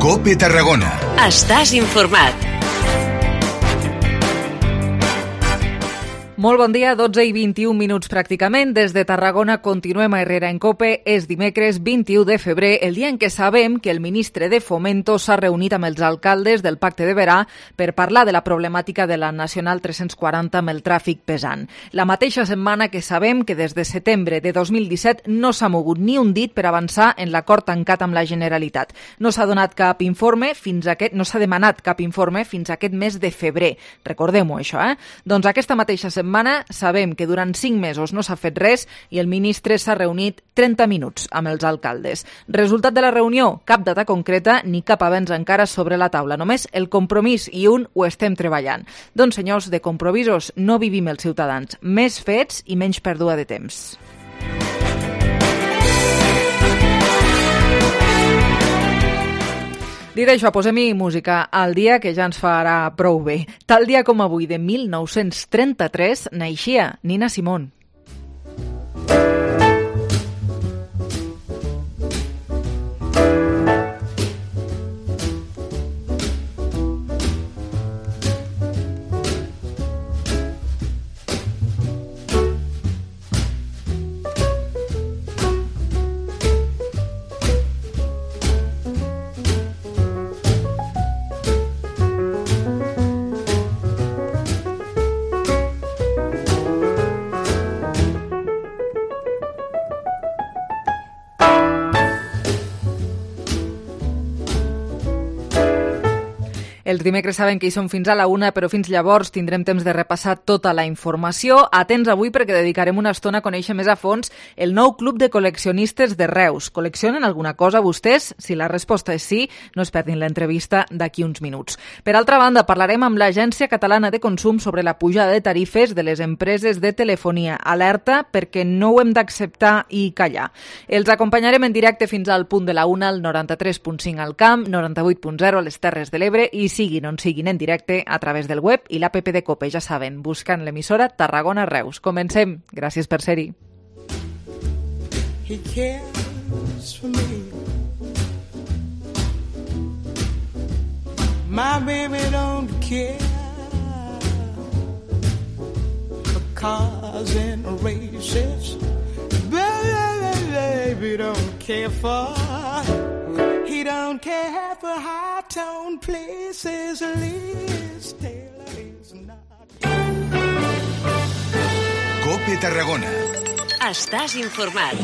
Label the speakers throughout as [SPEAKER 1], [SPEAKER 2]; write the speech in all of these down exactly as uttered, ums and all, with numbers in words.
[SPEAKER 1] COPE Tarragona.
[SPEAKER 2] Estàs informat.
[SPEAKER 3] Molt bon dia, dotze i vint-i-un minuts pràcticament. Des de Tarragona continuem a Herrera en COPE. És dimecres vint-i-u de febrer, el dia en què sabem que el ministre de Fomento s'ha reunit amb els alcaldes del Pacte de Verà per parlar de la problemàtica de la Nacional tres-cents quaranta amb el tràfic pesant. La mateixa setmana que sabem que des de setembre de dos mil disset no s'ha mogut ni un dit per avançar en l'acord tancat amb la Generalitat. No s'ha donat cap informe fins a aquest, no s'ha demanat cap informe fins a aquest mes de febrer. Recordem-ho, això, eh? Doncs aquesta mateixa setmana setmana sabem que durant cinc mesos no s'ha fet res i el ministre s'ha reunit trenta minuts amb els alcaldes. Resultat de la reunió? Cap data concreta ni cap avenç encara sobre la taula. Només el compromís i un ho estem treballant. Doncs, senyors, de compromisos no vivim els ciutadans. Més fets i menys pèrdua de temps. Dit això, posem-hi música al dia que ja ens farà prou bé. Tal dia com avui de mil nou-cents trenta-tres naixia Nina Simone. Els dimecres saben que hi som fins a la una, però fins llavors tindrem temps de repassar tota la informació. Atents avui perquè dedicarem una estona a conèixer més a fons el nou club de col·leccionistes de Reus. Col·leccionen alguna cosa vostès? Si la resposta és sí, no es perdin l'entrevista d'aquí uns minuts. Per altra banda, parlarem amb l'Agència Catalana de Consum sobre la pujada de tarifes de les empreses de telefonia. Alerta perquè no ho hem d'acceptar i callar. Els acompanyarem en directe fins al punt de la una, al noranta-tres punt cinc al Camp, noranta-vuit punt zero a les Terres de l'Ebre i siguin on siguin en directe a través del web i l'app de COPE, ja saben, buscant l'emissora Tarragona Reus. Comencem. Gràcies per ser-hi. He cares for me. My baby don't care for cars and races. Baby don't care for He don't care for high-tone places. Liz Taylor is not.
[SPEAKER 1] COPE Tarragona.
[SPEAKER 2] Estàs informat.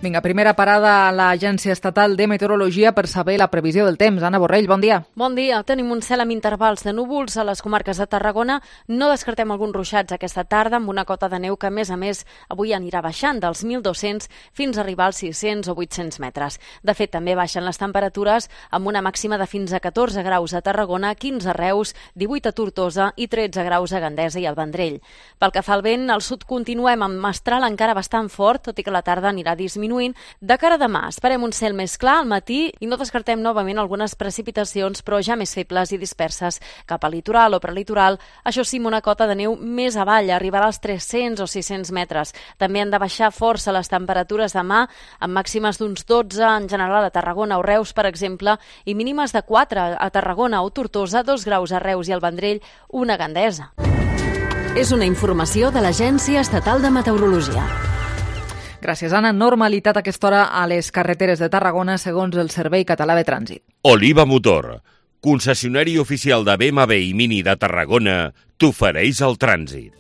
[SPEAKER 3] Vinga, primera parada a l'Agència Estatal de Meteorologia per saber la previsió del temps. Anna Borrell, bon dia.
[SPEAKER 4] Bon dia. Tenim un cel amb intervals de núvols a les comarques de Tarragona. No descartem alguns ruixats aquesta tarda amb una cota de neu que, a més a més, avui anirà baixant dels mil dos-cents fins a arribar als sis-cents o vuit-cents metres. De fet, també baixen les temperatures amb una màxima de fins a catorze graus a Tarragona, quinze a Reus, divuit a Tortosa i tretze graus a Gandesa i al Vendrell. Pel que fa al vent, al sud continuem amb mestral encara bastant fort, tot i que la tarda anirà disminuint. De cara a demà, esperem un cel més clar al matí i no descartem novament algunes precipitacions, però ja més febles i disperses cap al litoral o prelitoral. Això sí, amb una cota de neu més avall, arribarà als tres-cents o sis-cents metres. També han de baixar força les temperatures demà, amb màximes d'uns dotze en general a Tarragona o Reus, per exemple, i mínimes de quatre a Tarragona o Tortosa, dos graus a Reus i al Vendrell, una a Gandesa.
[SPEAKER 2] És una informació de l'Agència Estatal de Meteorologia.
[SPEAKER 3] Gràcies, Anna. Normalitat a aquesta hora a les carreteres de Tarragona, segons el Servei Català de Trànsit.
[SPEAKER 5] Oliva Motor, concessionari oficial de B M W i Mini de Tarragona, t'ofereix el trànsit.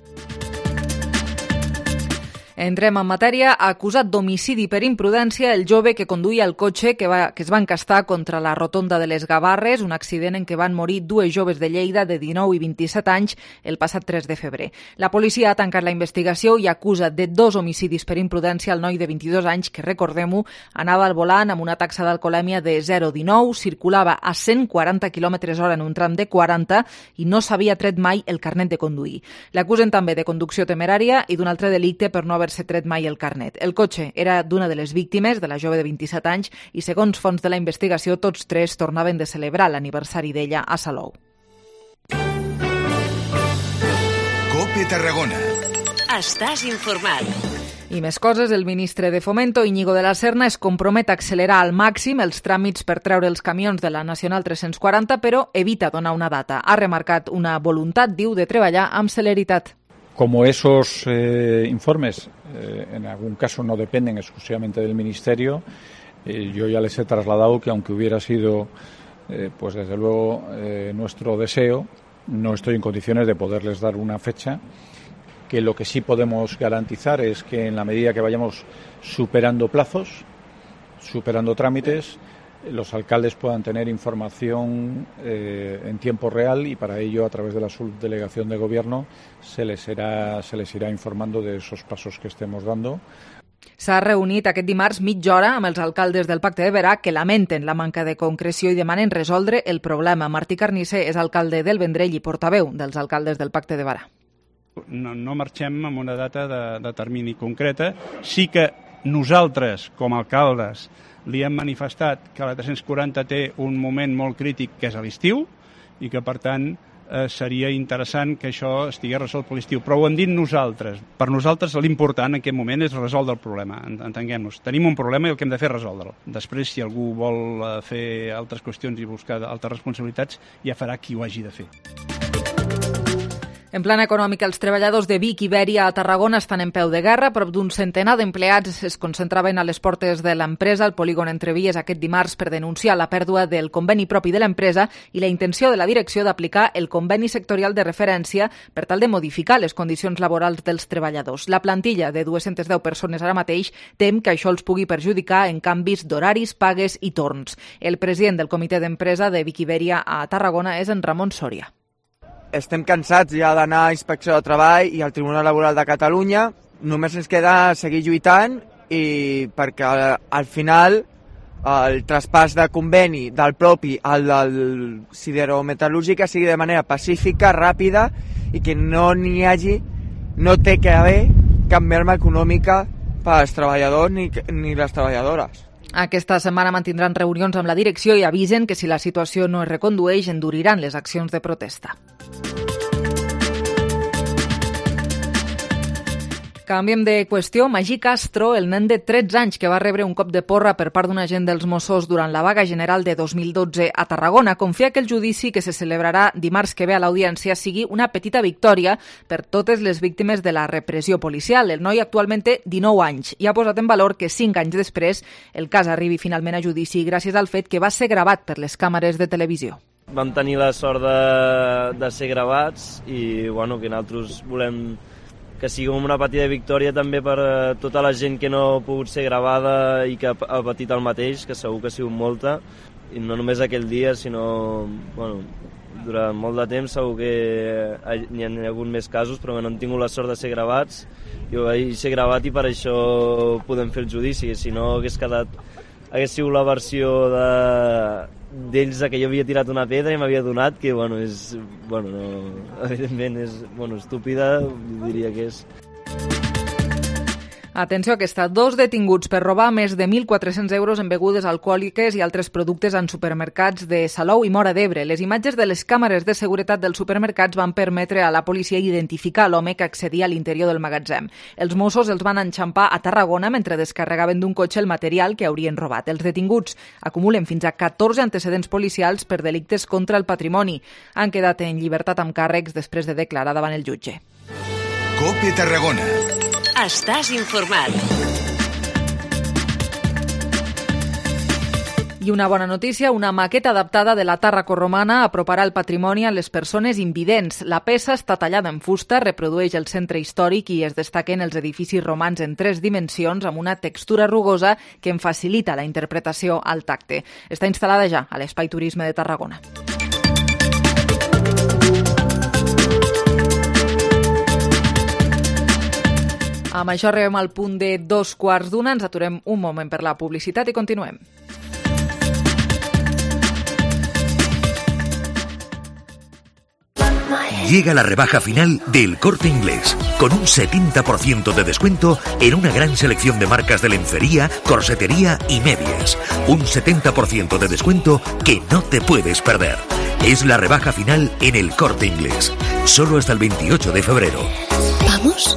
[SPEAKER 3] Entrem en matèria. Acusat d'homicidi per imprudència el jove que conduïa el cotxe que, va, que es va encastar contra la rotonda de les Gavarres, un accident en què van morir dues joves de Lleida de dinou i vint-i-set anys el passat tres de febrer. La policia ha tancat la investigació i acusa de dos homicidis per imprudència al noi de vint-i-dos anys que, recordem-ho, anava al volant amb una taxa d'alcoholèmia de zero coma dinou, circulava a cent quaranta quilòmetres hora en un tram de quaranta i no s'havia tret mai el carnet de conduir. L'acusen també de conducció temerària i d'un altre delicte per no haver haver-se tret mai el carnet. El cotxe era d'una de les víctimes, de la jove de vint-i-set anys, i segons fonts de la investigació, tots tres tornaven de celebrar l'aniversari d'ella a Salou.
[SPEAKER 1] COPE Tarragona.
[SPEAKER 2] Estàs informat.
[SPEAKER 3] I més coses, el ministre de Fomento, Íñigo de la Serna, es compromet a accelerar al màxim els tràmits per treure els camions de la Nacional tres-cents quaranta, però evita donar una data. Ha remarcat una voluntat, diu, de treballar amb celeritat.
[SPEAKER 6] Como esos eh, informes eh, en algún caso no dependen exclusivamente del Ministerio, eh, yo ya les he trasladado que aunque hubiera sido, eh, pues desde luego, eh, nuestro deseo, no estoy en condiciones de poderles dar una fecha, que lo que sí podemos garantizar es que en la medida que vayamos superando plazos, superando trámites, los alcaldes puedan tener información eh, en tiempo real y para ello a través de la subdelegación de gobierno se les irá, se les irá informando de esos pasos que estemos dando.
[SPEAKER 3] S'ha reunit aquest dimarts mitja hora amb els alcaldes del Pacte de Berà que lamenten la manca de concreció i demanen resoldre el problema. Martí Carnicer és alcalde del Vendrell i portaveu dels alcaldes del Pacte de Berà.
[SPEAKER 7] No, no marxem amb una data de, de termini concreta. Sí que nosaltres, com a alcaldes, li hem manifestat que la tres-cents quaranta té un moment molt crític, que és a l'estiu, i que, per tant, eh, seria interessant que això estigués resolt per l'estiu. Però ho hem dit nosaltres. Per nosaltres l'important en aquest moment és resoldre el problema, entenguem-nos. Tenim un problema i el que hem de fer és resoldre'l. Després, si algú vol fer altres qüestions i buscar altres responsabilitats, ja farà qui ho hagi de fer.
[SPEAKER 3] En plan econòmic, els treballadors de Vic i Iberia a Tarragona estan en peu de guerra. Prop d'un centenar d'empleats es concentraven a les portes de l'empresa al polígon Entrevies aquest dimarts per denunciar la pèrdua del conveni propi de l'empresa i la intenció de la direcció d'aplicar el conveni sectorial de referència per tal de modificar les condicions laborals dels treballadors. La plantilla de dues-centes deu persones ara mateix tem que això els pugui perjudicar en canvis d'horaris, pagues i torns. El president del comitè d'empresa de Vic i Iberia a Tarragona és en Ramon Sòria.
[SPEAKER 8] Estem cansats ja d'anar a Inspecció de Treball i al Tribunal Laboral de Catalunya. Només ens queda seguir lluitant i perquè al final el traspàs de conveni del propi al del siderometal·lúrgica sigui de manera pacífica, ràpida i que no n'hi hagi, no té que haver cap merma econòmica per als treballadors ni, ni les treballadores.
[SPEAKER 3] Aquesta setmana mantindran reunions amb la direcció i avisen que si la situació no es recondueix enduriran les accions de protesta. Canviem de qüestió. Magí Castro, el nen de tretze anys que va rebre un cop de porra per part d'un agent dels Mossos durant la vaga general de dos mil dotze a Tarragona, confia que el judici que se celebrarà dimarts que ve a l'audiència sigui una petita victòria per totes les víctimes de la repressió policial. El noi actualment té dinou anys i ha posat en valor que cinc anys després el cas arribi finalment a judici gràcies al fet que va ser gravat per les càmeres de televisió.
[SPEAKER 9] Vam tenir la sort de, de ser gravats i bueno, que nosaltres volem que sigui una petita victòria també per tota la gent que no ha pogut ser gravada i que ha patit el mateix, que segur que ha sigut molta, i no només aquell dia, sinó bueno, durant molt de temps. Segur que n'hi ha hagut més casos, però no hem tingut la sort de ser gravats. Jo vaig ser gravat i per això podem fer el judici, si no hagués quedat, hagués sigut la versió de d'ells que jo havia tirat una pedra i m'havia donat, que bueno, és, bueno, no, evidentment és bueno, estúpida, diria que és.
[SPEAKER 3] Atenció, que està dos detinguts per robar més de mil quatre-cents euros en begudes alcohòliques i altres productes en supermercats de Salou i Móra d'Ebre. Les imatges de les càmeres de seguretat dels supermercats van permetre a la policia identificar l'home que accedia a l'interior del magatzem. Els Mossos els van enxampar a Tarragona mentre descarregaven d'un cotxe el material que haurien robat. Els detinguts acumulen fins a catorze antecedents policials per delictes contra el patrimoni. Han quedat en llibertat amb càrrecs després de declarar davant el jutge.
[SPEAKER 1] COPE Tarragona.
[SPEAKER 2] Estàs informat.
[SPEAKER 3] I una bona notícia, una maqueta adaptada de la Tàrraco romana aproparà el patrimoni a les persones invidents. La peça està tallada en fusta, reprodueix el centre històric i es destaquen els edificis romans en tres dimensions amb una textura rugosa que en facilita la interpretació al tacte. Està instal·lada ja a l'Espai Turisme de Tarragona. Amb això arribem al punt de dos quarts d'una. Ens aturem un moment per la publicitat i continuem.
[SPEAKER 10] Llega la rebaja final del Corte Inglés, con un setenta por ciento de descuento en una gran selección de marcas de lencería, corsetería y medias. Un setenta por ciento de descuento que no te puedes perder. Es la rebaja final en el Corte Inglés, solo hasta el veintiocho de febrero.
[SPEAKER 11] ¿Vamos?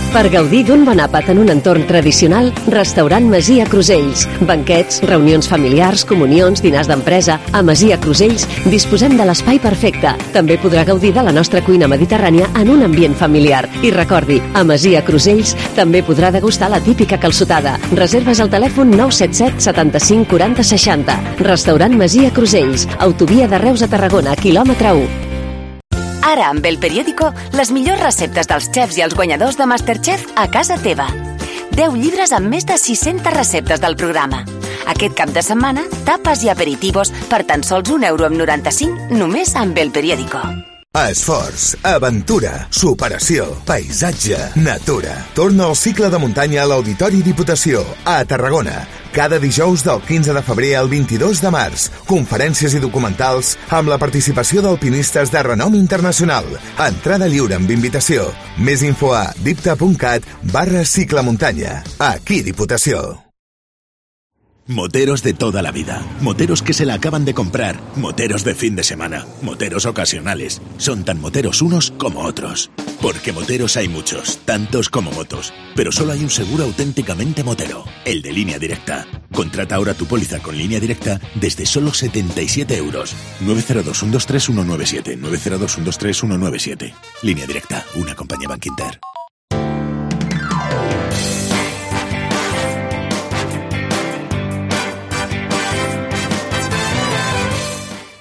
[SPEAKER 2] Per gaudir d'un bon àpat en un entorn tradicional, Restaurant Masia Crusells. Banquets, reunions familiars, comunions, dinars d'empresa. A Masia Crusells disposem de l'espai perfecte. També podrà gaudir de la nostra cuina mediterrània en un ambient familiar. I recordi, a Masia Crusells també podrà degustar la típica calçotada. Reserves al telèfon nou set set setanta-cinc quaranta seixanta. Restaurant Masia Crusells, autovia de Reus a Tarragona, quilòmetre u.
[SPEAKER 11] Ara, amb El Periódico, les millors receptes dels xefs i els guanyadors de MasterChef a casa teva. deu llibres amb més de sis-centes receptes del programa. Aquest cap de setmana, tapes i aperitivos per tan sols un euro amb noranta-cinc només amb El Periódico.
[SPEAKER 1] Esforç, aventura, superació, paisatge, natura. Torna al cicle de muntanya a l'Auditori Diputació, a Tarragona. Cada dijous del quinze de febrer al vint-i-dos de març. Conferències i documentals amb la participació d'alpinistes de renom internacional. Entrada lliure amb invitació. Més info a dipta.cat barra cicle muntanya. Aquí Diputació.
[SPEAKER 12] Moteros de toda la vida, moteros que se la acaban de comprar, moteros de fin de semana, moteros ocasionales. Son tan moteros unos como otros. Porque moteros hay muchos, tantos como motos. Pero solo hay un seguro auténticamente motero, el de Línea Directa. Contrata ahora tu póliza con Línea Directa desde solo setenta y siete euros. nueve cero dos, uno dos tres, uno nueve siete, nueve cero dos, uno dos tres, uno nueve siete. Línea Directa, una compañía Bankinter.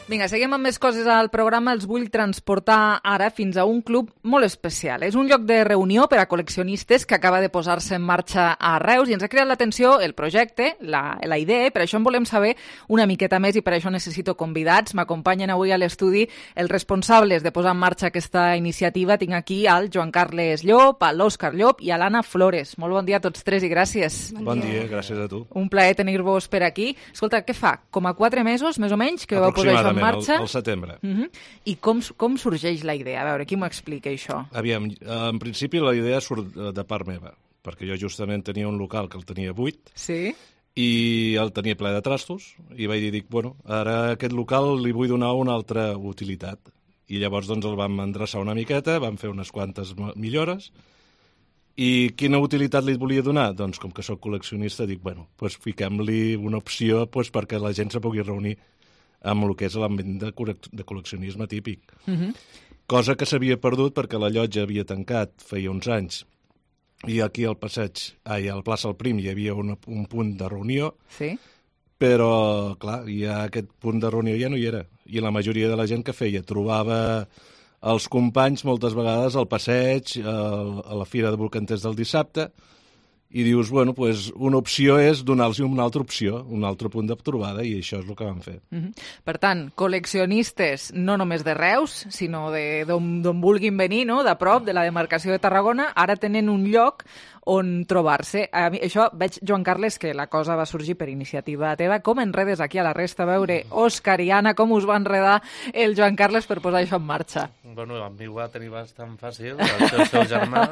[SPEAKER 3] Vinga, seguim amb més coses al programa. Els vull transportar ara fins a un club molt especial. És un lloc de reunió per a col·leccionistes que acaba de posar-se en marxa a Reus i ens ha cridat l'atenció el projecte, la, la idea, per això en volem saber una miqueta més i per això necessito convidats. M'acompanyen avui a l'estudi els responsables de posar en marxa aquesta iniciativa. Tinc aquí al Joan Carles Llop, a l'Òscar Llop i a l'Anna Flores. Molt bon dia a tots tres i gràcies.
[SPEAKER 13] Bon, bon dia. dia, gràcies a tu.
[SPEAKER 3] Un plaer tenir-vos per aquí. Escolta, què fa? Com a quatre mesos, més o menys, que vau posar això en marxa?
[SPEAKER 13] Al, al setembre.
[SPEAKER 3] Uh -huh. I com, com sorgeix la idea? A veure, qui m'ho explica, això?
[SPEAKER 13] Aviam, en principi la idea surt de part meva, perquè jo justament tenia un local que el tenia buit,
[SPEAKER 3] sí?
[SPEAKER 13] I el tenia ple de trastos, i vaig dir, dic, bueno, ara aquest local li vull donar una altra utilitat. I llavors doncs el vam endreçar una miqueta, vam fer unes quantes millores, i quina utilitat li volia donar? Doncs com que sóc col·leccionista, dic, bueno, doncs fiquem-li una opció doncs, perquè la gent se pugui reunir amb el que és l'ambient de, de col·leccionisme típic. Uh-huh. Cosa que s'havia perdut perquè la llotja havia tancat feia uns anys i aquí al passeig, ai, al plaça El Prim hi havia una, un punt de reunió,
[SPEAKER 3] sí?
[SPEAKER 13] Però, clar, ja aquest punt de reunió ja no hi era. I la majoria de la gent que feia trobava els companys moltes vegades al passeig, a la Fira de Bolcanters del dissabte, i dius, bueno, pues una opció és donar-los una altra opció, un altre punt de trobada, i això és el que vam fer.
[SPEAKER 3] Uh-huh. Per tant, col·leccionistes no només de Reus, sinó d'on vulguin venir, no? De prop, de la demarcació de Tarragona, ara tenen un lloc on trobar-se. A mi, això veig, Joan Carles, que la cosa va sorgir per iniciativa teva. Com enredes aquí a la resta? A veure, Òscar i Anna, com us va enredar el Joan Carles per posar això en marxa?
[SPEAKER 14] Bueno, amb mi ho va tenir bastant fàcil, el seu, seu germà.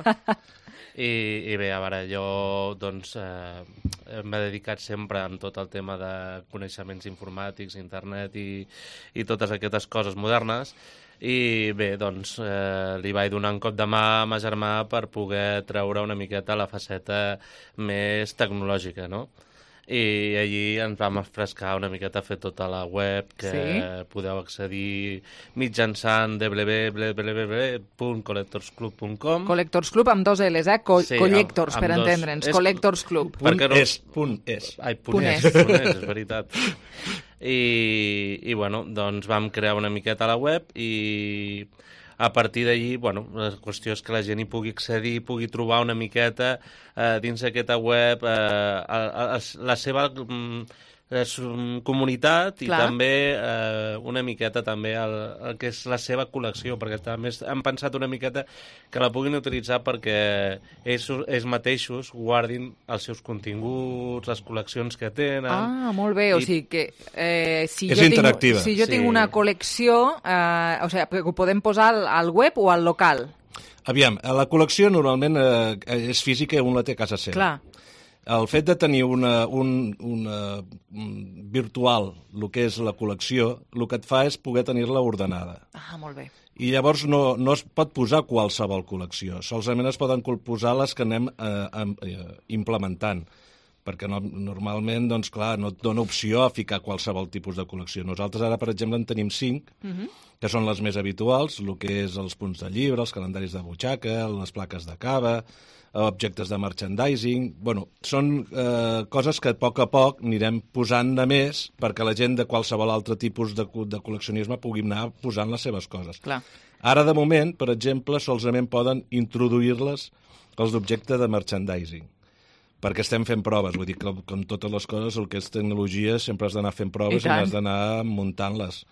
[SPEAKER 14] I, I bé, a veure, jo doncs, eh, m'he dedicat sempre amb tot el tema de coneixements informàtics, internet i, i totes aquestes coses modernes. I bé, doncs, eh, li vaig donar un cop de mà a ma germà per poder treure una miqueta la faceta més tecnològica, no? I allí ens vam refrescar una miqueta a fer tota la web que sí? Podeu accedir mitjançant w w w punt collectors club punt com.
[SPEAKER 3] Collectors Club amb dos L's, eh? Co sí, Collectors, amb, amb per entendre'ns. Collectors Club.
[SPEAKER 13] Punt no... és, punt és.
[SPEAKER 14] Ai, punt, punt és, és. Punt és, és veritat. I, I, bueno, doncs vam crear una miqueta la web i a partir d'allí, bueno, la qüestió és que la gent hi pugui accedir, pugui trobar una miqueta eh, dins d'aquesta web eh, a, a, a, la seva mm, comunitat i Clar. també eh, una miqueta també el, el que és la seva col·lecció, perquè també hem pensat una miqueta que la puguin utilitzar perquè ells, ells mateixos guardin els seus continguts, les col·leccions que tenen.
[SPEAKER 3] Ah, molt bé, i... o sigui que eh, si,
[SPEAKER 13] és
[SPEAKER 3] jo
[SPEAKER 13] interactiva.
[SPEAKER 3] tinc, si jo sí. tinc una col·lecció, eh, o sigui, ho podem posar al, al web o al local?
[SPEAKER 13] Aviam, la col·lecció normalment eh, és física i un la té a casa seva.
[SPEAKER 3] Clar.
[SPEAKER 13] el fet de tenir una, un, una virtual, el que és la col·lecció, el que et fa és poder tenir-la ordenada.
[SPEAKER 3] Ah, molt bé.
[SPEAKER 13] I llavors no, no es pot posar qualsevol col·lecció, solament es poden posar les que anem eh, eh, implementant, perquè no, normalment, doncs clar, no et dona opció a ficar qualsevol tipus de col·lecció. Nosaltres ara, per exemple, en tenim cinc, uh-huh. que són les més habituals, el que és els punts de llibre, els calendaris de butxaca, les plaques de cava, objectes de merchandising. Bueno, són eh, coses que a poc a poc anirem posant de més perquè la gent de qualsevol altre tipus de, de col·leccionisme pugui anar posant les seves coses.
[SPEAKER 3] Clar.
[SPEAKER 13] Ara, de moment, per exemple, solament poden introduir-les els objectes de merchandising, perquè estem fent proves. Vull dir que, com totes les coses, el que és tecnologia, sempre has d'anar fent proves i, i has d'anar muntant-les.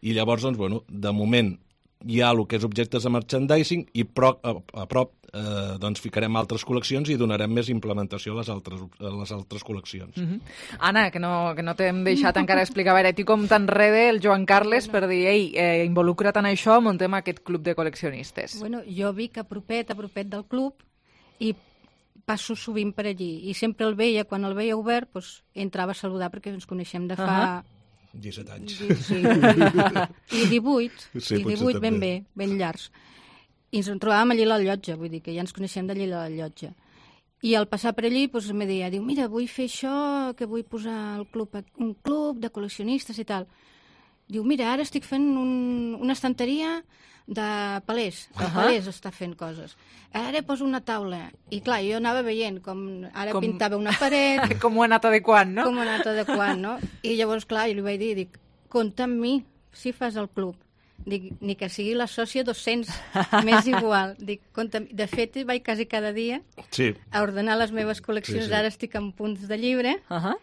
[SPEAKER 13] I llavors, doncs, bueno, de moment hi ha el que és objectes de merchandising i pro, a, a prop eh, doncs ficarem altres col·leccions i donarem més implementació a les altres, a les altres col·leccions.
[SPEAKER 3] Mm-hmm. Anna, que no, que no t'hem deixat encara explicar, a veure, tu com t'enrede el Joan Carles per dir, ei, eh, involucra't en això, muntem aquest club de col·leccionistes.
[SPEAKER 15] Bueno, jo vic a propet, a propet del club i passo sovint per allí i sempre el veia, quan el veia obert, doncs, entrava a saludar perquè ens coneixem de fa... Uh-huh.
[SPEAKER 13] disset anys.
[SPEAKER 15] Sí. I divuit, sí, i divuit ben bé, ben llargs. I ens en trobàvem allí a la llotja, vull dir que ja ens coneixem d'allí a la llotja. I al passar per allí, doncs, me deia, diu, mira, vull fer això, que vull posar el club, un club de col·leccionistes i tal. Diu, mira, ara estic fent un, una estanteria de palers. El uh-huh. palers està fent coses. Ara poso una taula. I clar, jo anava veient com ara com... pintava una paret.
[SPEAKER 3] Com ho ha anat adequant, no?
[SPEAKER 15] Com ho ha anat adequant, no? I llavors, clar, jo li vaig dir, dic, compta amb mi si fas el club. Dic, ni que sigui la sòcia dos-cents, m'és igual. Dic, compta amb... De fet, vaig quasi cada dia
[SPEAKER 13] sí.
[SPEAKER 15] a ordenar les meves col·leccions. Sí, sí. Ara estic en punts de llibre uh-huh.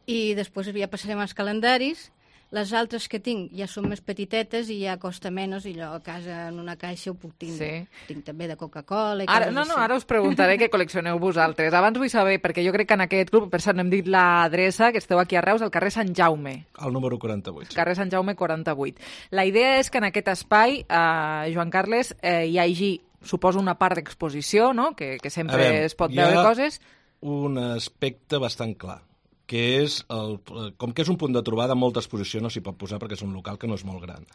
[SPEAKER 15] i després ja passarem als calendaris. Les altres que tinc ja són més petitetes i ja costa menys i allò a casa en una caixa ho puc tindre. Sí. Tinc també de Coca-Cola i
[SPEAKER 3] ara, no, no, ara us preguntaré què col·leccioneu vosaltres. Abans vull saber, perquè jo crec que en aquest club, per cert, no hem dit l'adreça, que esteu aquí a Reus, al carrer Sant Jaume.
[SPEAKER 13] Al número quaranta-vuit.
[SPEAKER 3] Carrer Sant Jaume quaranta-vuit. La idea és que en aquest espai, eh, Joan Carles, eh, hi hagi, suposo, una part d'exposició, no? Que, que sempre veure, es pot veure coses.
[SPEAKER 13] Un aspecte bastant clar, que és, el, com que és un punt de trobada, molta exposició no s'hi pot posar perquè és un local que no és molt gran.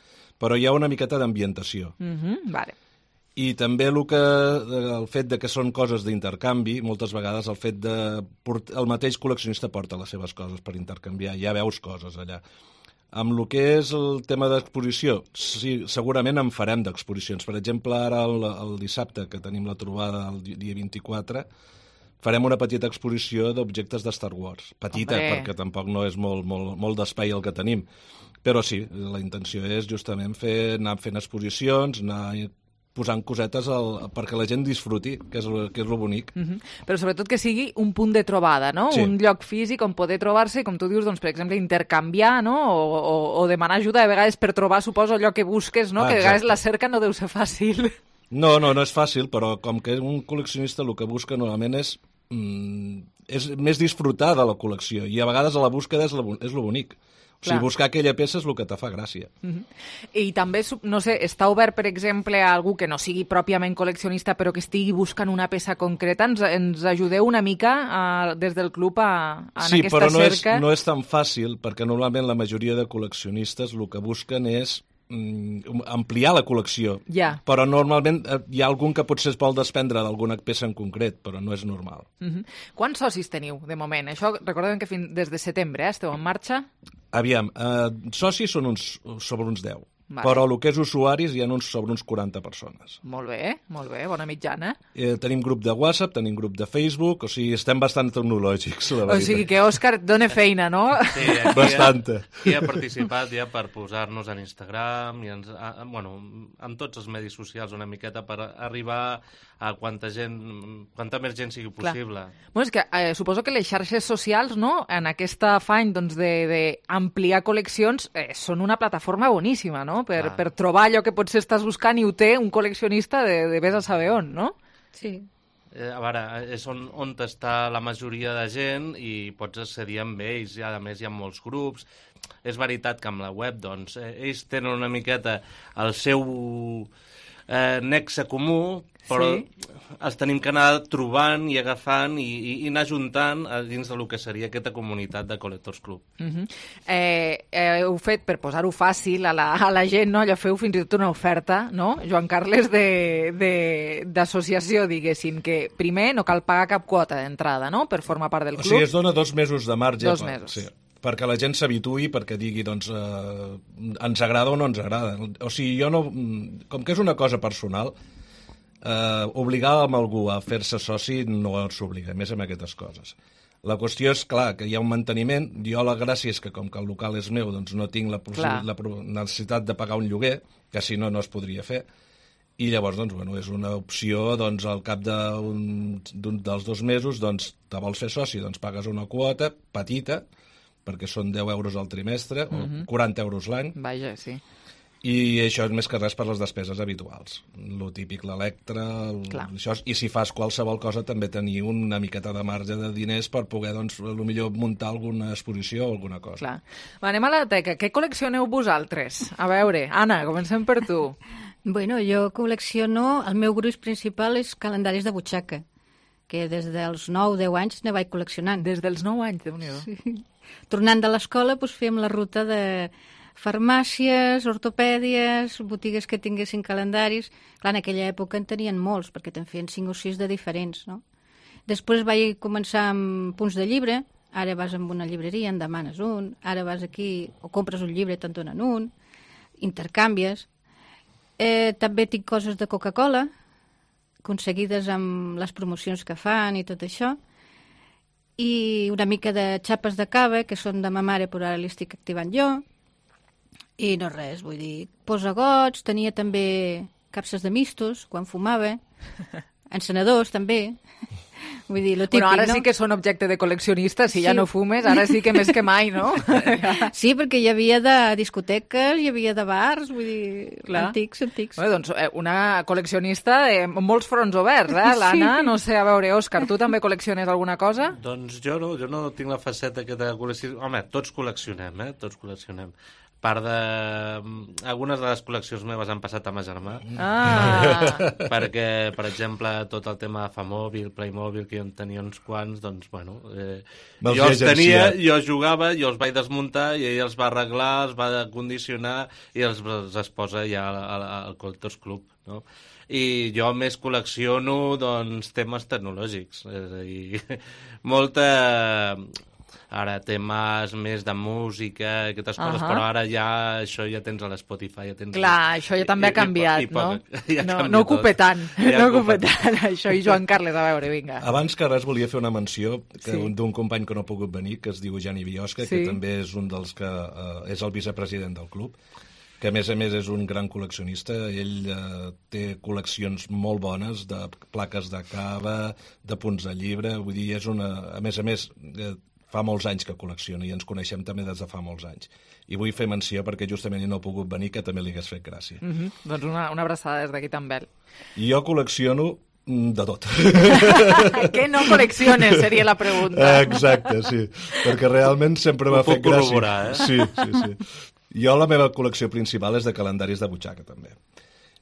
[SPEAKER 13] Però hi ha una miqueta d'ambientació.
[SPEAKER 3] Mm-hmm, vale.
[SPEAKER 13] I també el, que, el fet de que són coses d'intercanvi, moltes vegades el fet de... El mateix col·leccionista porta les seves coses per intercanviar, ja veus coses allà. Amb el que és el tema d'exposició, sí, segurament en farem d'exposicions. Per exemple, ara el, el dissabte, que tenim la trobada el dia vint-i-quatre, farem una petita exposició d'objectes de Star Wars. Petita, Hombre. perquè tampoc no és molt, molt, molt d'espai el que tenim. Però sí, la intenció és justament fer, anar fent exposicions, anar posant cosetes al, perquè la gent disfruti, que és el, que és el bonic.
[SPEAKER 3] Mm-hmm. Però sobretot que sigui un punt de trobada, no? Sí. Un lloc físic on poder trobar-se, com tu dius, doncs, per exemple, intercanviar, no? O, o, o demanar ajuda, de vegades per trobar, suposo, allò que busques, no? Ah, que de vegades la cerca no deu ser fàcil.
[SPEAKER 13] No, no, no és fàcil, però com que un col·leccionista el que busca normalment és és més disfrutar de la col·lecció i a vegades a la búsqueda és, la, és lo bonic. O sigui, buscar aquella peça és el que te fa gràcia.
[SPEAKER 3] Mm-hmm. I també, no sé, està obert, per exemple, a algú que no sigui pròpiament col·leccionista però que estigui buscant una peça concreta? Ens, ens ajudeu una mica a, des del club a, a
[SPEAKER 13] sí,
[SPEAKER 3] en aquesta cerca?
[SPEAKER 13] Sí, però no és, no és tan fàcil perquè normalment la majoria de col·leccionistes el que busquen és ampliar la col·lecció,
[SPEAKER 3] yeah.
[SPEAKER 13] però normalment hi ha algun que potser es vol desprendre d'alguna peça en concret, però no és normal.
[SPEAKER 3] Mm-hmm. Quants socis teniu, de moment? Això, recordem que fins des de setembre eh, esteu en marxa?
[SPEAKER 13] Aviam, eh, socis són uns, sobre uns deu,
[SPEAKER 3] vale.
[SPEAKER 13] Però el que és usuaris hi ha uns, sobre uns quaranta persones.
[SPEAKER 3] Molt bé, molt bé, bona mitjana.
[SPEAKER 13] Eh, tenim grup de WhatsApp, tenim grup de Facebook, o sigui, estem bastant tecnològics, la veritat.
[SPEAKER 3] O sigui que Òscar et dona feina, no?
[SPEAKER 14] Sí, aquí
[SPEAKER 13] Bastanta.
[SPEAKER 14] Qui ha participat ja per posar-nos en Instagram, i ens, a, bueno, amb tots els medis socials una miqueta per arribar a quanta gent, quanta més gent sigui possible.
[SPEAKER 3] Clar. Bueno, és que eh, suposo que les xarxes socials, no?, en aquesta afany doncs, d'ampliar col·leccions, eh, són una plataforma boníssima, no?, per, per trobar allò que potser estàs buscant i ho té un col·leccionista de, de vés a saber on, no?
[SPEAKER 15] Sí.
[SPEAKER 14] Eh, a veure, és on, on està la majoria de gent i pots accedir amb ells, i a més hi ha molts grups. És veritat que amb la web, doncs, eh, ells tenen una miqueta el seu... eh, nexe comú, però sí. els tenim que anar trobant i agafant i, i, i anar juntant a dins del que seria aquesta comunitat de Collectors Club.
[SPEAKER 3] Uh -huh. eh, eh, heu fet, per posar-ho fàcil a la, a la gent, no? Allò feu fins i tot una oferta, no? Joan Carles, d'associació, diguéssim, que primer no cal pagar cap quota d'entrada, no?, per formar part del club.
[SPEAKER 13] O sigui, es dona dos mesos de marge.
[SPEAKER 3] Dos
[SPEAKER 13] per,
[SPEAKER 3] mesos.
[SPEAKER 13] Sí, perquè la gent s'habituï, perquè digui, doncs, eh, ens agrada o no ens agrada. O sigui, jo no... Com que és una cosa personal, eh, obligar amb algú a fer-se soci no s'obliga, més amb aquestes coses. La qüestió és, clar, que hi ha un manteniment. Jo la gràcia és que, com que el local és meu, doncs no tinc la, la necessitat de pagar un lloguer, que si no, no es podria fer. I llavors, doncs, bueno, és una opció, doncs, al cap d'un dels dos mesos, doncs, te vols fer soci, doncs pagues una quota petita, perquè són deu euros al trimestre, uh-huh. o quaranta euros l'any.
[SPEAKER 3] Vaja, sí.
[SPEAKER 13] I això és més que res per les despeses habituals. Lo típic, l'electre, això, i si fas qualsevol cosa també tenir una miqueta de marge de diners per poder, doncs, potser muntar alguna exposició o alguna cosa.
[SPEAKER 3] Clar. Va, anem a la teca. Què col·leccioneu vosaltres? A veure, Anna, comencem per tu.
[SPEAKER 15] Bueno, jo col·lecciono... El meu gruix principal és calendaris de butxaca, que des dels nou deu anys ne vaig col·leccionant.
[SPEAKER 3] Des dels nou anys, Déu-n'hi-do.
[SPEAKER 15] Sí. Tornant de l'escola, doncs, fèiem la ruta de farmàcies, ortopèdies, botigues que tinguessin calendaris. Clar, en aquella època en tenien molts, perquè te'n feien cinc o sis de diferents, no? Després vaig començar amb punts de llibre. Ara vas a una llibreria, en demanes un. Ara vas aquí, o compres un llibre i te'n donen un. Intercanvies. Eh, també tinc coses de Coca-Cola, aconseguides amb les promocions que fan i tot això. I una mica de xapes de cava, que són de ma mare, però ara li estic activant jo. I no res, vull dir, posagots, tenia també capses de mistos, quan fumava, encenedors també, vull dir, lo típic,
[SPEAKER 3] bueno, ara
[SPEAKER 15] no?
[SPEAKER 3] sí que són objecte de col·leccionista, si sí. ja no fumes, ara sí que més que mai, no?
[SPEAKER 15] Sí, perquè hi havia de discoteques, hi havia de bars, vull dir, clar. antics, antics.
[SPEAKER 3] Bé, doncs una col·leccionista amb molts fronts oberts, eh, l'Anna? Sí. No sé, a veure, Òscar, tu també col·lecciones alguna cosa?
[SPEAKER 14] Doncs jo no, jo no tinc la faceta aquesta de col·lecció. Home, tots col·leccionem, eh? Tots col·leccionem. Part de... Algunes de les col·leccions meves han passat a ma germà.
[SPEAKER 3] Ah!
[SPEAKER 14] Perquè, per exemple, tot el tema de Famòbil, Playmobil, que jo en tenia uns quants, doncs, bueno... Eh, jo els tenia, jo jugava, jo els vaig desmuntar i ell els va arreglar, els va condicionar i els, els es posa ja al, al Collectors Club, no? I jo més col·lecciono, doncs, temes tecnològics. És a dir, molta... Ara temes més de música, aquestes coses, uh-huh. però ara ja això ja tens a l'Spotify. Ja tens
[SPEAKER 3] Clar, això ja també ha canviat,
[SPEAKER 14] i, i, i
[SPEAKER 3] no?
[SPEAKER 14] Ja
[SPEAKER 3] no,
[SPEAKER 14] canviat
[SPEAKER 3] no ocupa tant,
[SPEAKER 14] ja
[SPEAKER 3] no ocupa tant, això. I Joan Carles, a veure, vinga.
[SPEAKER 13] Abans que res volia fer una menció
[SPEAKER 3] sí.
[SPEAKER 13] d'un company que no ha pogut venir, que es diu Jani Biosca, sí. que també és un dels que eh, és el vicepresident del club, que a més a més és un gran col·leccionista. Ell eh, té col·leccions molt bones de plaques de cava, de punts de llibre, vull dir, és una... A més a més... Eh, fa molts anys que col·lecciona i ens coneixem també des de fa molts anys. I vull fer menció perquè justament no ha pogut venir, que també li hagués fet gràcia.
[SPEAKER 3] Mm -hmm. Doncs una, una abraçada des d'aquí també.
[SPEAKER 13] I jo col·lecciono de tot.
[SPEAKER 3] Què no col·lecciones, seria la pregunta.
[SPEAKER 13] Exacte, sí. Perquè realment sempre m'ha fet gràcia.
[SPEAKER 14] Ho puc corroborar, eh?
[SPEAKER 13] Sí, sí, sí. Jo la meva col·lecció principal és de calendaris de butxaca, també.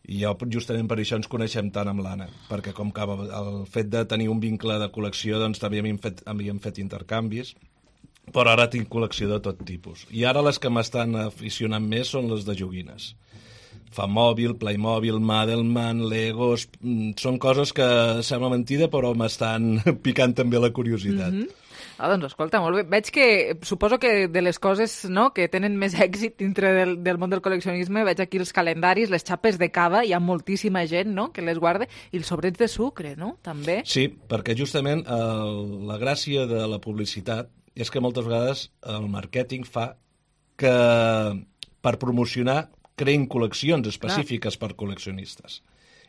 [SPEAKER 13] I jo, justament per això ens coneixem tant amb l'Anna, perquè com que el fet de tenir un vincle de col·lecció, doncs també havíem fet, havíem fet intercanvis, però ara tinc col·lecció de tot tipus. I ara les que m'estan aficionant més són les de joguines. Famòbil, Playmobil, Madelman, Legos... Són coses que sembla mentida, però m'estan picant també la curiositat.
[SPEAKER 3] Mm-hmm. Ah, doncs escolta, molt bé. Veig que, suposo que de les coses, no, que tenen més èxit dintre del, del món del col·leccionisme, veig aquí els calendaris, les xapes de cava, hi ha moltíssima gent, no?, que les guarda, i els sobrets de sucre, no?, també.
[SPEAKER 13] Sí, perquè justament el, la gràcia de la publicitat és que moltes vegades el màrqueting fa que per promocionar creïn col·leccions específiques clar. Per col·leccionistes.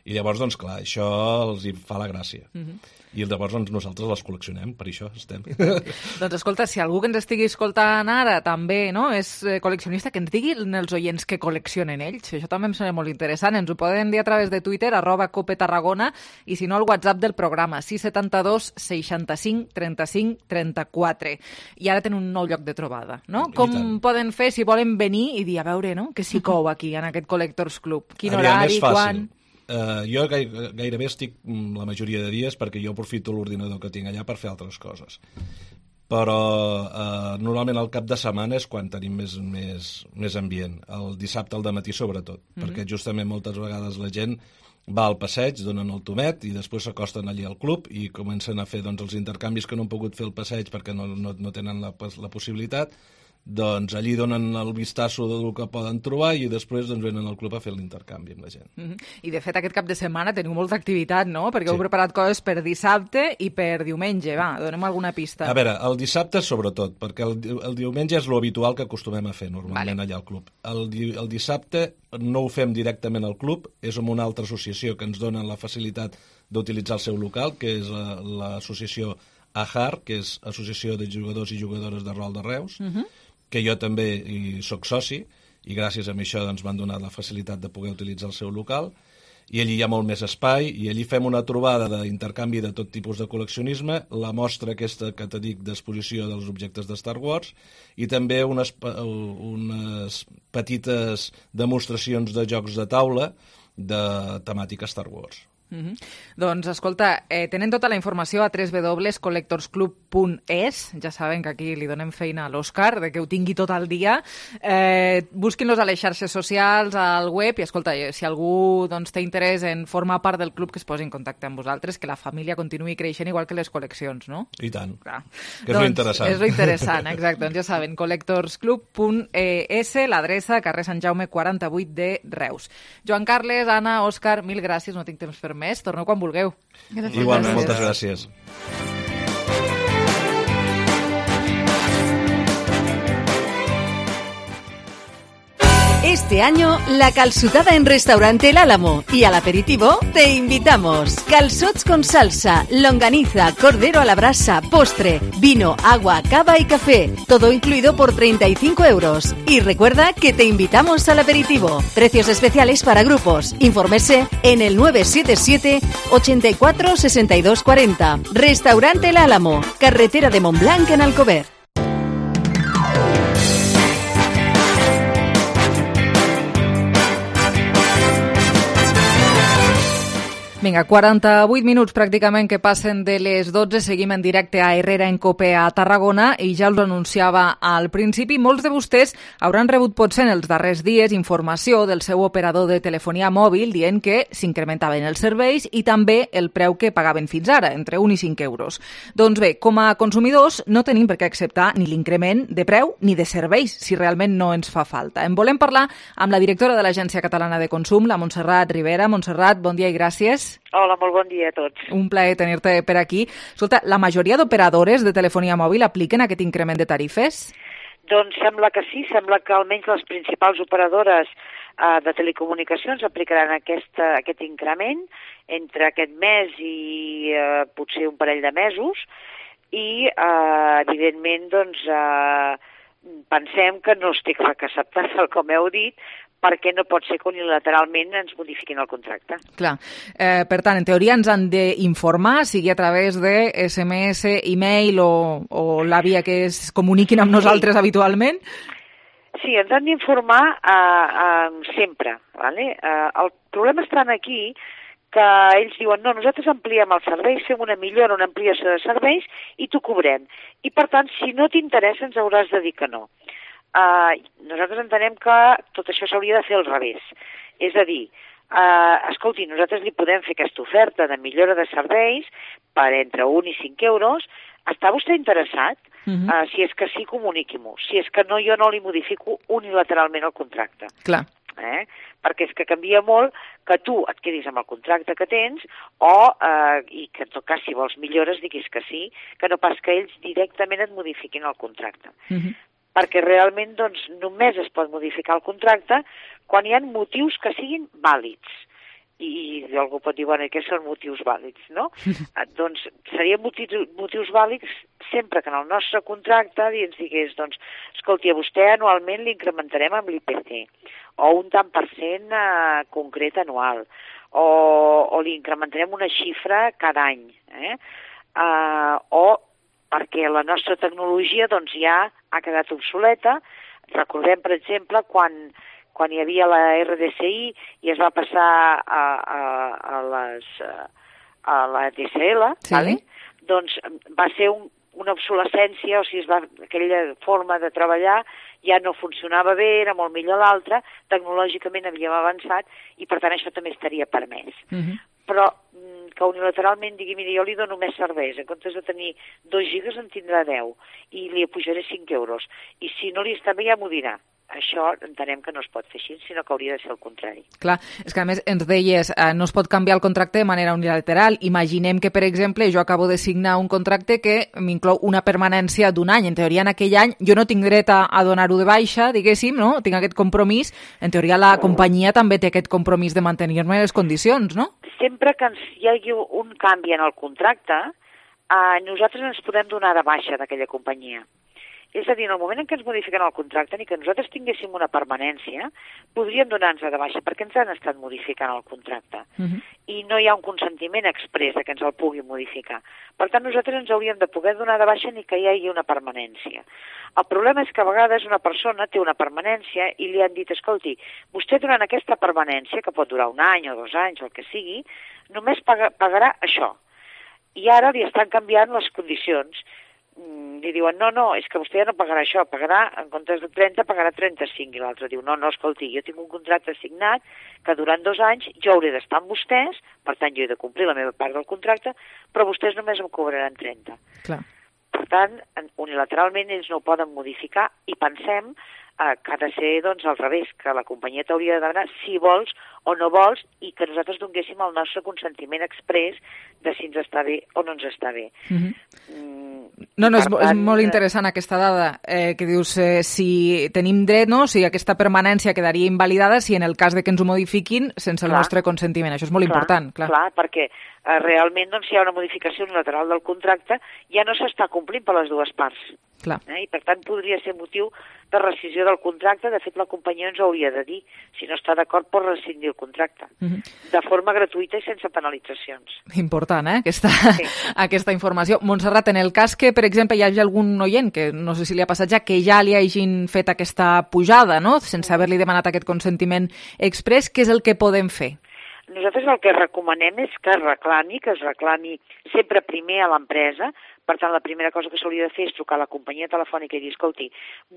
[SPEAKER 13] I llavors, doncs clar, això els hi fa la gràcia. Mm-hmm. I llavors doncs, nosaltres les col·leccionem, per això estem.
[SPEAKER 3] Doncs escolta, si algú que ens estigui escoltant ara també no, és col·leccionista, que ens diguin els oients que col·leccionen ells. Això també em sembla molt interessant. Ens ho poden dir a través de Twitter, arroba Cope Tarragona, i si no, el WhatsApp del programa, sis set dos seixanta-cinc trenta-cinc trenta-quatre. I ara tenen un nou lloc de trobada, no? Com poden fer si volen venir i dir, a veure, no?, que s'hi cou aquí, en aquest Collectors Club? Quin horari, quan...
[SPEAKER 13] Uh, jo gairebé estic la majoria de dies perquè jo aprofito l'ordinador que tinc allà per fer altres coses. Però uh, normalment el cap de setmana és quan tenim més, més, més ambient. El dissabte al dematí sobretot, mm-hmm. perquè justament moltes vegades la gent va al passeig, donen el tomet i després s'acosten allí al club i comencen a fer doncs, els intercanvis que no han pogut fer el passeig perquè no, no, no tenen la, la possibilitat. Doncs allí donen el vistasso del que poden trobar i després doncs, venen al club a fer l'intercanvi amb la gent.
[SPEAKER 3] Mm-hmm. I de fet aquest cap de setmana teniu molta activitat, no? Perquè sí. heu preparat coses per dissabte i per diumenge. Va, donem alguna pista.
[SPEAKER 13] A veure, el dissabte sobretot, perquè el, el diumenge és lo habitual que acostumem a fer normalment vale. allà al club. El, el dissabte no ho fem directament al club, és amb una altra associació que ens dona la facilitat d'utilitzar el seu local, que és l'associació A H A R, que és Associació de Jugadors i Jugadores de Rol de Reus, mm-hmm. que jo també hi soc soci, i gràcies a això doncs, m'han donat la facilitat de poder utilitzar el seu local, i allí hi ha molt més espai, i allí fem una trobada d'intercanvi de tot tipus de col·leccionisme, la mostra aquesta que te dic d'exposició dels objectes de Star Wars, i també unes, unes petites demostracions de jocs de taula de temàtica Star Wars.
[SPEAKER 3] Mm-hmm. Doncs, escolta, eh, tenen tota la informació a w w w punt collectors club punt e s. Ja saben que aquí li donem feina a l'Òscar, de que ho tingui tot el dia. Eh, busquin-los a les xarxes socials, al web, i escolta, si algú doncs, té interès en formar part del club, que es posi en contacte amb vosaltres, que la família continuï creixent igual que les col·leccions, no?
[SPEAKER 13] I tant.
[SPEAKER 3] Clar.
[SPEAKER 13] Que és doncs, interessant.
[SPEAKER 3] És lo interessant, exacte. Doncs ja saben, collectors club punt e s, l'adreça, carrer Sant Jaume quaranta-vuit de Reus. Joan Carles, Anna, Òscar, mil gràcies, no tinc temps per més. Torneu quan vulgueu.
[SPEAKER 15] Gràcies.
[SPEAKER 13] Igualment, moltes gràcies.
[SPEAKER 16] Este año, la calçotada en Restaurante El Álamo y al aperitivo te invitamos. Calzots con salsa, longaniza, cordero a la brasa, postre, vino, agua, cava y café. Todo incluido por treinta y cinco euros. Y recuerda que te invitamos al aperitivo. Precios especiales para grupos. Infórmese en el nueve siete siete, ochenta y cuatro, sesenta y dos cuarenta. Restaurante El Álamo, carretera de Montblanc en Alcover.
[SPEAKER 3] Vinga, quaranta-vuit minuts pràcticament que passen de les dotze. Seguim en directe a Herrera en Cope a Tarragona i ja us anunciava al principi. Molts de vostès hauran rebut potser en els darrers dies informació del seu operador de telefonia mòbil dient que s'incrementaven els serveis i també el preu que pagaven fins ara, entre un i cinc euros. Doncs bé, com a consumidors no tenim per què acceptar ni l'increment de preu ni de serveis si realment no ens fa falta. En volem parlar amb la directora de l'Agència Catalana de Consum, la Montserrat Rivera. Montserrat, bon dia i gràcies.
[SPEAKER 17] Hola, molt bon dia a tots.
[SPEAKER 3] Un plaer tenir-te per aquí. Escolta, la majoria d'operadores de telefonia mòbil apliquen aquest increment de tarifes?
[SPEAKER 17] Doncs sembla que sí, sembla que almenys les principals operadores eh, de telecomunicacions aplicaran aquesta, aquest increment entre aquest mes i eh, potser un parell de mesos i, eh, evidentment, doncs, eh, pensem que no estic acceptat, com heu dit, perquè no pot ser que unilateralment ens modifiquin el contracte.
[SPEAKER 3] Clar. Eh, per tant, en teoria ens han d'informar, sigui a través de S M S, e-mail o, o la via que es comuniquin amb nosaltres sí. habitualment?
[SPEAKER 17] Sí, ens han d'informar eh, eh, sempre. ¿vale? Eh, el problema està aquí que ells diuen, no, nosaltres ampliem els serveis, fem una millora, una ampliació de serveis i t'ho cobrem. I, per tant, si no t'interessa, ens hauràs de dir que no. Uh, nosaltres entenem que tot això s'hauria de fer al revés. És a dir, uh, escolti, nosaltres li podem fer aquesta oferta de millora de serveis per entre un i cinc euros. Està vostè interessat? Uh-huh. Uh, si és que sí, comuniqui-m'ho. Si és que no, jo no li modifico unilateralment el contracte.
[SPEAKER 3] Clar.
[SPEAKER 17] Eh? Perquè és que canvia molt que tu et quedis amb el contracte que tens o, eh, i que en tot cas si vols millores diguis que sí, que no pas que ells directament et modifiquin el contracte. Uh-huh. Perquè realment doncs, només es pot modificar el contracte quan hi ha motius que siguin vàlids. I, i algú pot dir, bueno, què són motius vàlids, no? eh, doncs serien motius, motius vàlids sempre que en el nostre contracte ens digués, doncs, escolti, a vostè anualment l'incrementarem amb l'I P C, o un tant per cent eh, concret anual, o, o l'incrementarem una xifra cada any, eh? Uh, o perquè la nostra tecnologia doncs, ja ha quedat obsoleta. Recordem, per exemple, quan, quan hi havia la R D C I i es va passar a, a, a, les, a la D S L, sí. Vale? Doncs va ser un, una obsolescència, o sigui, es va, aquella forma de treballar ja no funcionava bé, era molt millor l'altra, tecnològicament havíem avançat i per tant això també estaria permès. Uh-huh. Però que unilateralment digui, mira, jo li dono més serveis, en comptes de tenir dos gigas en tindrà deu i li apujaré cinc euros. I si no li està bé ja m'ho dirà. Això entenem que no es pot fer així, sinó que hauria de ser el contrari.
[SPEAKER 3] Clar, és que a més ens deies, eh, no es pot canviar el contracte de manera unilateral. Imaginem que, per exemple, jo acabo de signar un contracte que m'inclou una permanència d'un any. En teoria, en aquell any, jo no tinc dret a, a donar-ho de baixa, diguéssim, no? Tinc aquest compromís. En teoria, la companyia també té aquest compromís de mantenir-me les condicions, no?
[SPEAKER 17] Sempre que hi hagi un canvi en el contracte, eh, nosaltres ens podem donar de baixa d'aquella companyia. És a dir, en el moment en què ens modifiquen el contracte, ni que nosaltres tinguéssim una permanència, podríem donar-nos de baixa, perquè ens han estat modificant el contracte. Uh-huh. I no hi ha un consentiment exprés que ens el pugui modificar. Per tant, nosaltres ens hauríem de poder donar de baixa ni que hi hagi una permanència. El problema és que a vegades una persona té una permanència i li han dit, escolti, vostè durant aquesta permanència, que pot durar un any o dos anys o el que sigui, només paga, pagarà això. I ara li estan canviant les condicions. Li diuen, no, no, és que vostè ja no pagarà això, pagarà, en comptes de trenta, pagarà trenta-cinc, i l'altre diu, no, no, escolti, jo tinc un contracte signat que durant dos anys jo hauré d'estar amb vostès, per tant jo he de complir la meva part del contracte, però vostès només em cobraran trenta.
[SPEAKER 3] Clar.
[SPEAKER 17] Per tant, unilateralment ells no ho poden modificar i pensem eh, que ha de ser doncs, al revés, que la companyia t'hauria de demanar si vols o no vols i que nosaltres donéssim el nostre consentiment exprés de si ens està bé o no ens està bé. Uh-huh. Mm,
[SPEAKER 3] No, no, és, tant, és molt interessant aquesta dada, eh, que dius, eh, si tenim dret, no? Si aquesta permanència quedaria invalidada si en el cas de que ens ho modifiquin sense clar, el nostre consentiment. Això és molt
[SPEAKER 17] clar,
[SPEAKER 3] important. Clar,
[SPEAKER 17] clar perquè eh, realment doncs, si hi ha una modificació unilateral del contracte ja no s'està complint per les dues parts.
[SPEAKER 3] Clar.
[SPEAKER 17] Eh? I per tant podria ser motiu de rescissió del contracte. De fet, la companyia ens hauria de dir si no està d'acord per rescindir el contracte. Uh-huh. De forma gratuïta i sense penalitzacions.
[SPEAKER 3] Important, eh? Aquesta, sí. aquesta informació. Montserrat, en el cas que, per exemple, hi hagi algun oient, que no sé si li ha passat ja, que ja li hagin fet aquesta pujada, no?, sense haver-li demanat aquest consentiment exprés, què és el que podem fer?
[SPEAKER 17] Nosaltres el que recomanem és que es reclami, que es reclami sempre primer a l'empresa. Per tant, la primera cosa que s'hauria de fer és trucar a la companyia telefònica i dir, escolti,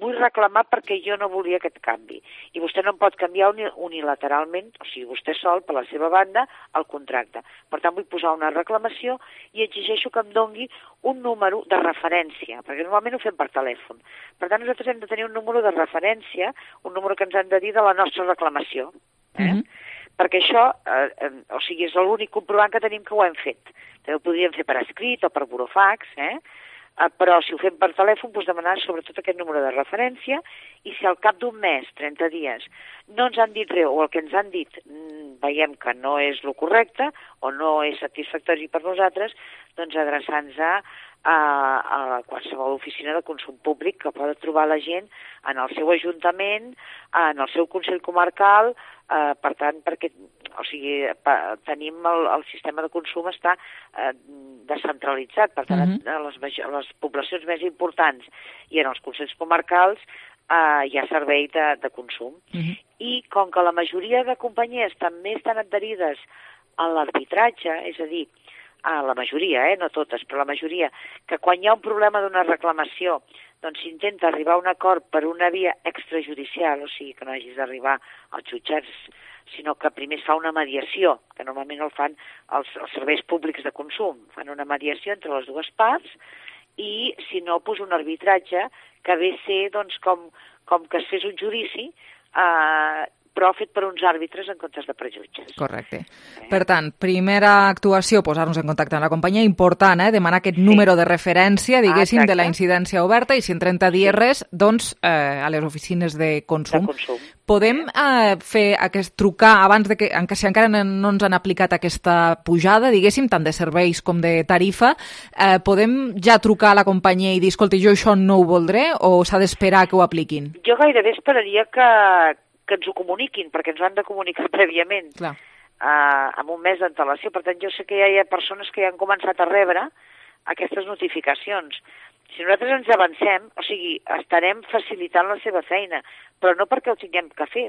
[SPEAKER 17] vull reclamar perquè jo no volia aquest canvi. I vostè no em pot canviar unilateralment, o sigui, vostè sol, per la seva banda, el contracte. Per tant, vull posar una reclamació i exigeixo que em dongui un número de referència, perquè normalment ho fem per telèfon. Per tant, nosaltres hem de tenir un número de referència, un número que ens han de dir de la nostra reclamació. Eh? Uh-huh. Perquè això, eh, eh, o sigui, és l'únic comprovant que tenim que ho hem fet. També ho podríem fer per escrit o per burofax, eh? eh? Però si ho fem per telèfon, doncs demanar sobretot aquest número de referència i si al cap d'un mes, trenta dies, no ens han dit res o el que ens han dit mmm, veiem que no és el correcte o no és satisfactori per nosaltres, doncs adreçar-nos a, a, a qualsevol oficina de consum públic que pot trobar la gent en el seu ajuntament, en el seu consell comarcal. Uh, per tant, perquè o sigui, pa, tenim el, el sistema de consum està uh, descentralitzat, per tant, uh-huh. a, les, a les poblacions més importants i en els consells comarcals uh, hi ha servei de, de consum. Uh-huh. I com que la majoria de companyies també estan adherides a l'arbitratge, és a dir, a la majoria, eh, no totes, però la majoria, que quan hi ha un problema d'una reclamació doncs s'intenta arribar a un acord per una via extrajudicial, o sigui que no hagis d'arribar als jutjats, sinó que primer es fa una mediació, que normalment el fan els, els serveis públics de consum, fan una mediació entre les dues parts i, si no, pues, un arbitratge que ve a ser doncs, com, com que es fes un judici, eh, però fet per uns àrbitres en comptes de per jutges.
[SPEAKER 3] Correcte. Eh? Per tant, primera actuació, posar-nos en contacte amb la companyia, important, eh? Demanar aquest sí. número de referència, diguéssim, ah, de la incidència oberta, i si en trenta dies sí. res, doncs, eh, a les oficines de consum.
[SPEAKER 17] De consum.
[SPEAKER 3] Podem eh, fer aquest trucar abans de que, en si encara no ens han aplicat aquesta pujada, diguéssim, tant de serveis com de tarifa, eh, podem ja trucar a la companyia i dir, escolta, jo això no ho voldré, o s'ha d'esperar que ho apliquin?
[SPEAKER 17] Jo gairebé esperaria que que ens ho comuniquin, perquè ens ho han de comunicar prèviament, uh, amb un mes d'antelació. Per tant, jo sé que ja hi ha persones que ja han començat a rebre aquestes notificacions. Si nosaltres ens avancem, o sigui, estarem facilitant la seva feina, però no perquè ho tinguem que fer,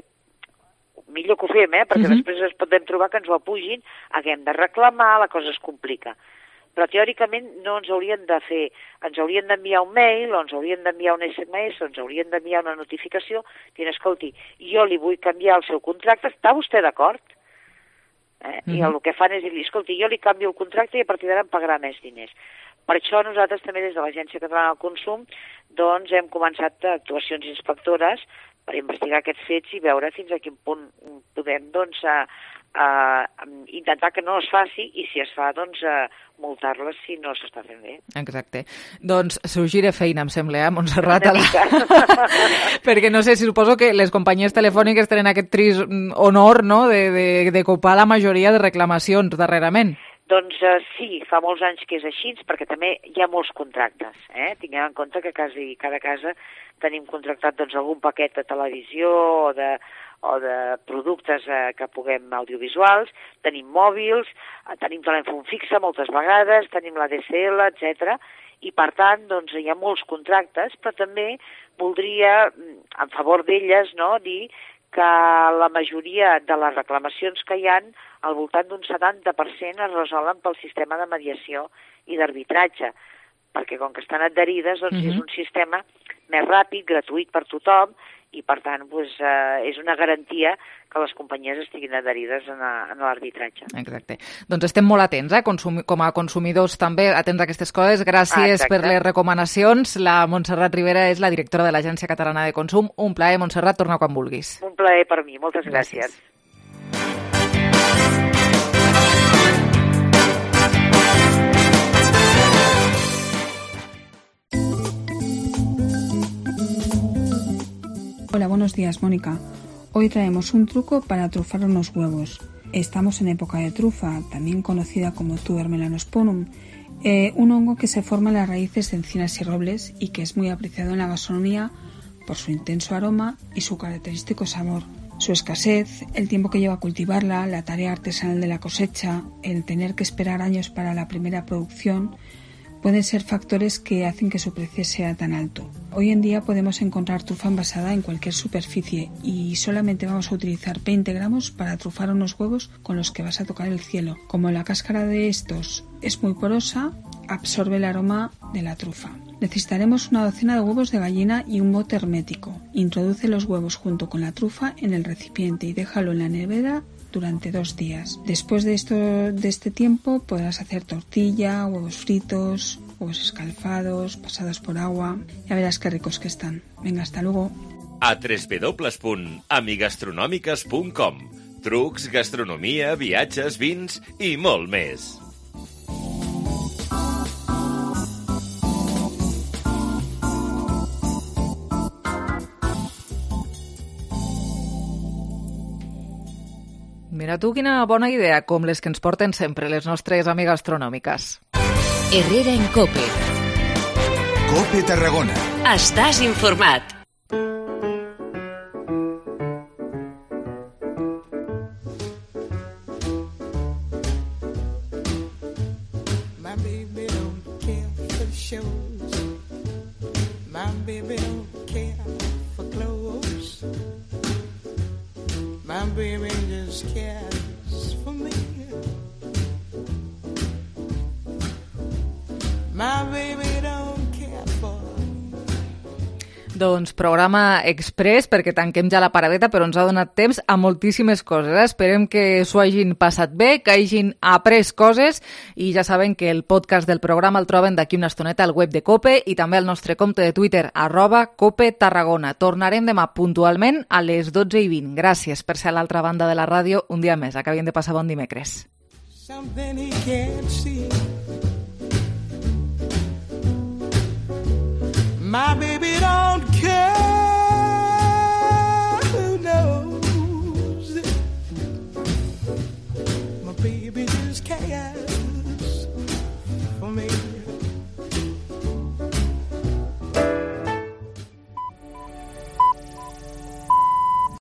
[SPEAKER 17] millor que ho fem, eh? Perquè uh-huh. després ens podem trobar que ens ho apugin, haguem de reclamar, la cosa es complica. Però teòricament no ens haurien de fer, ens haurien d'enviar un mail, o ens haurien d'enviar un esse eme esse, o ens haurien d'enviar una notificació, dient, escolti, jo li vull canviar el seu contracte, està vostè d'acord? Eh? Uh-huh. I el que fan és dir, escolti, jo li canvio el contracte i a partir d'ara em pagarà més diners. Per això nosaltres també des de l'Agència Catalana del Consum doncs hem començat actuacions inspectores per investigar aquests fets i veure fins a quin punt podem doncs, a, a, a intentar que no es faci i si es fa doncs a multar-les si no s'està fent bé.
[SPEAKER 3] Exacte. Doncs s'ho gira feina, em sembla, eh, Montserrat? La... Perquè no sé, si suposo que les companyies telefòniques tenen aquest trist honor, no?, de, de, de copar la majoria de reclamacions darrerament.
[SPEAKER 17] Doncs uh, sí, fa molts anys que és així, perquè també hi ha molts contractes. Eh? Tinguem en compte que quasi cada casa tenim contractat doncs, algun paquet de televisió o de, o de productes eh, que puguem audiovisuals, tenim mòbils, eh, tenim telèfon fixe moltes vegades, tenim la de esse ele, etcètera. I per tant doncs, hi ha molts contractes, però també voldria, en favor d'elles, no, dir que la majoria de les reclamacions que hi ha, al voltant d'un setanta per cent es resolen pel sistema de mediació i d'arbitratge, perquè com que estan adherides, doncs uh-huh. és un sistema més ràpid, gratuït per tothom, i per tant doncs, eh, és una garantia que les companyies estiguin adherides en, a, en l'arbitratge.
[SPEAKER 3] Exacte. Doncs estem molt atents, eh? Consumi- com a consumidors també atents a aquestes coses. Gràcies ah, per les recomanacions. La Montserrat Rivera és la directora de l'Agència Catalana de Consum. Un plaer, Montserrat, torna quan vulguis.
[SPEAKER 17] Un plaer per mi, moltes gràcies. gràcies.
[SPEAKER 18] Hola, buenos días, Mónica. Hoy traemos un truco para trufar unos huevos. Estamos en época de trufa, también conocida como tuber melanosporum, eh, un hongo que se forma en las raíces de encinas y robles y que es muy apreciado en la gastronomía por su intenso aroma y su característico sabor. Su escasez, el tiempo que lleva a cultivarla, la tarea artesanal de la cosecha, el tener que esperar años para la primera producción, pueden ser factores que hacen que su precio sea tan alto. Hoy en día podemos encontrar trufa envasada en cualquier superficie y solamente vamos a utilizar veinte gramos para trufar unos huevos con los que vas a tocar el cielo. Como la cáscara de estos es muy porosa, absorbe el aroma de la trufa. Necesitaremos una docena de huevos de gallina y un bote hermético. Introduce los huevos junto con la trufa en el recipiente y déjalo en la nevera durante dos días. Después de, esto, de este tiempo podrás hacer tortilla, huevos fritos, huevos escalfados, pasados por agua. Ya verás qué ricos que están. Venga, hasta luego.
[SPEAKER 5] A doble u doble u doble u punt amigastronòmiques punt com. Trucs, gastronomia, viatges, vins i molt més.
[SPEAKER 3] Mira tu quina bona idea, com les que ens porten sempre les nostres amigues astronòmiques.
[SPEAKER 2] Herrera en Cope.
[SPEAKER 1] Cope Tarragona.
[SPEAKER 2] Estàs informat.
[SPEAKER 19] My baby don't care for shows. My baby don't care for clothes. My baby just cares for me. My baby don't care for.
[SPEAKER 3] Doncs programa express, perquè tanquem ja la paradeta, però ens ha donat temps a moltíssimes coses. Eh? Esperem que s'ho hagin passat bé, que hagin après coses, i ja saben que el podcast del programa el troben d'aquí una estoneta al web de COPE i també al nostre compte de Twitter, arroba COPE Tarragona. Tornarem demà puntualment a les dotze i vint. Gràcies per ser a l'altra banda de la ràdio un dia més. Acabem de passar bon dimecres.
[SPEAKER 19] Something he can't see. My baby don't care.